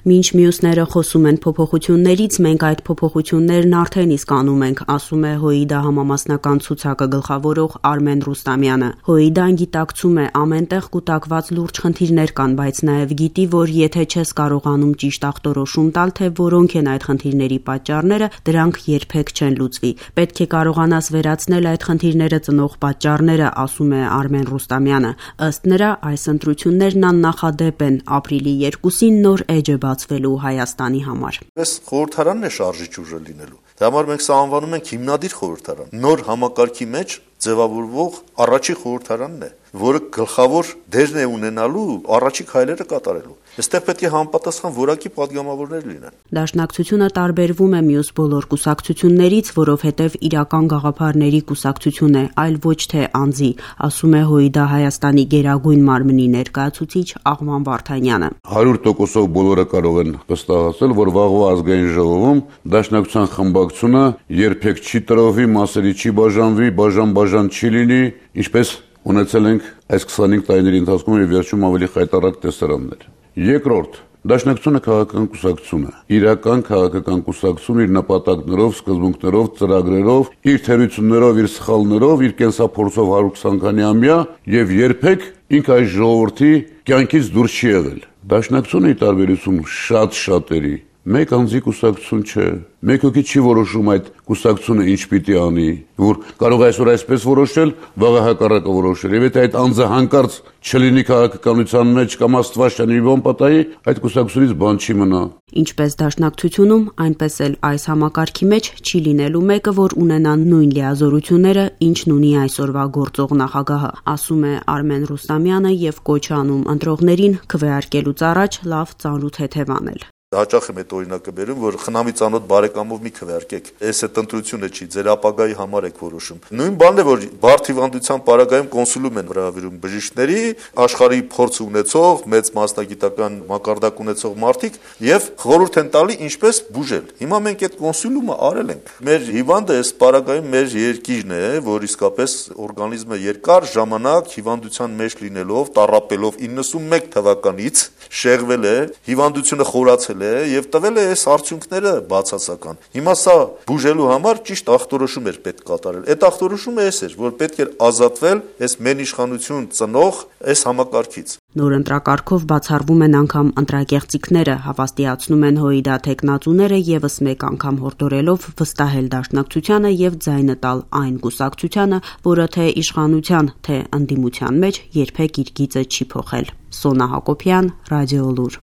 Մինչ մյուսները խոսում են փոփոխություններից, մենք այդ փոփոխություններն արդեն իսկ անում ենք, ասում է ՀՅԴ համամասնական ցուցակը գլխավորող Արմեն Ռուստամյանը։ ՀՅԴ-ն գիտակցում է, ամենտեղ կուտակված լուրջ խնդիրներ կան, բայց նաև գիտի, որ եթե չես կարողանում ճիշտ ախտորոշում տալ, թե որոնք են այդ խնդիրների պատճառները, դրանք երբեք չեն լուծվի։ Պետք է կարողանաս վերացնել այդ խնդիրները ծնող պատճառները, ասում է Արմեն Ռուստամյանը։ Ըստ նրա, այս ընտրություններն աննախադեպ են ապրիլի 2-ին նոր էջ է բացվելու Հայաստանի համար։ Այս խորհրդարանն է շարժիչ ուժը լինելու։ Դա համար մենք սա անվանում ենք հիմնադիր խորհրդարան։ Նոր համակարգի մեջ ձևավորվող առաջի խորհրդարանն է, որը գլխավոր դերն է ունենալու առաջի քայլերը կատարելու։ Այստեղ պետք է համապատասխան որակի падգամավորներ լինեն։ Դաշնակցությունը տարբերվում է մյուս բոլոր կուսակցություններից, որովհետև իրական գաղափարների կուսակցություն է, այլ ոչ թե անձի, ասում է ՀՅԴ Հայաստանի գերագույն մարմնի ներկայացուցիչ Աղվան Վարդանյանը։ 100%-ով բոլորը կարող են վստահել, որ վաղվա ազգային ժողովում դաշնակցության խմբակցությունը երբեք չի տրովի, մասերի չի բաժանվի, բաժան չի լինի, ինչպես ունեցել ենք այս 25 տարիների ընթացքում եւ վերջում ավելի խայտառակ տեսարաններ։ Երկրորդ, դաշնակցությունը քաղաքական կուսակցություն է, իրական քաղաքական կուսակցություն իր նպատակներով, սկզբունքներով, ծրագրերով, իր թերություններով, իր սխալներով, իր կենսափորձով 120-քանի ամյա եւ երբեք ինքը այս ժողովրդի կյանքից դուրս չի եղել։ Դաշնակցությունը ի տարբերություն շատ շատերի մեկ անձի կուսակցություն չէ։ Մեկ հոգի չի որոշում այդ կուսակցությունը ինչ պիտի անի, որ կարող է այսօր այսպես որոշել, վաղը հակառակը որոշել։ Եվ եթե այդ անձը հանկարծ չլինի քաղաքականության մեջ կամ Աստված չանի բան պատահի, այդ կուսակցությունից բան չի մնա։ Ինչպես դաշնակցությունում, այնպես էլ այս համակարգի մեջ չի լինելու մեկը, որ ունենա նույն լիազորությունները, ինչն ունի այսօրվա գործող նախագահը, ասում է Արմեն Ռուստամյանը եւ կոչ անում ընտրողներին քվեարկելուց առաջ լավ ծանոթ հետևանել։ Հաճախ եմ այդ օրինակը բերում, որ խնամի ծանոթ բարեկամով մի քվեարկեք։ Այս այդ ընտրությունը չի, ձեր ապագայի համար եք որոշում։ Նույն բանն է, որ բարդ հիվանդության պարագայում կոնսուլում են հրավիրում բժիշկների, աշխարհի փորձ ունեցող, մեծ մասնագիտական մակարդակ ունեցող մարդիկ եւ խորհուրդ են տալի ինչպես բուժել։ Հիմա մենք այդ կոնսուլումը արել ենք։ Մեր հիվանդը այս պարագայում մեր երկիրն է, որ իսկապես օրգանիզմը երկար ժամանակ հիվանդության մեջ լինելով, տառապելով 91 թվականից շեղվել է, հիվանդությունը խորացել է եւ տվել է այս արդյունքները բացասական։ Հիմա սա բուժելու համար ճիշտ ախտորոշում էր պետք կատարել։ Այդ ախտորոշումը էս էր, որ պետք էր ազատվել այս մենիշխանություն ծնող այս համակարգից։ Նոր ընտրակարգով բացառվում են անգամ ընտրակեղծիքները, հավաստիացնում են ՀՅԴ թեկնածուները եւս մեկ անգամ հորդորելով վստահել դաշնակցությանը եւ ձայնը տալ այն կուսակցությանը, որը թե իշխանության, թե ընդդիմության մեջ երբեք իր գիծը չի փոխել։ Սոնա Հակոբյան, Ռադիոլուր։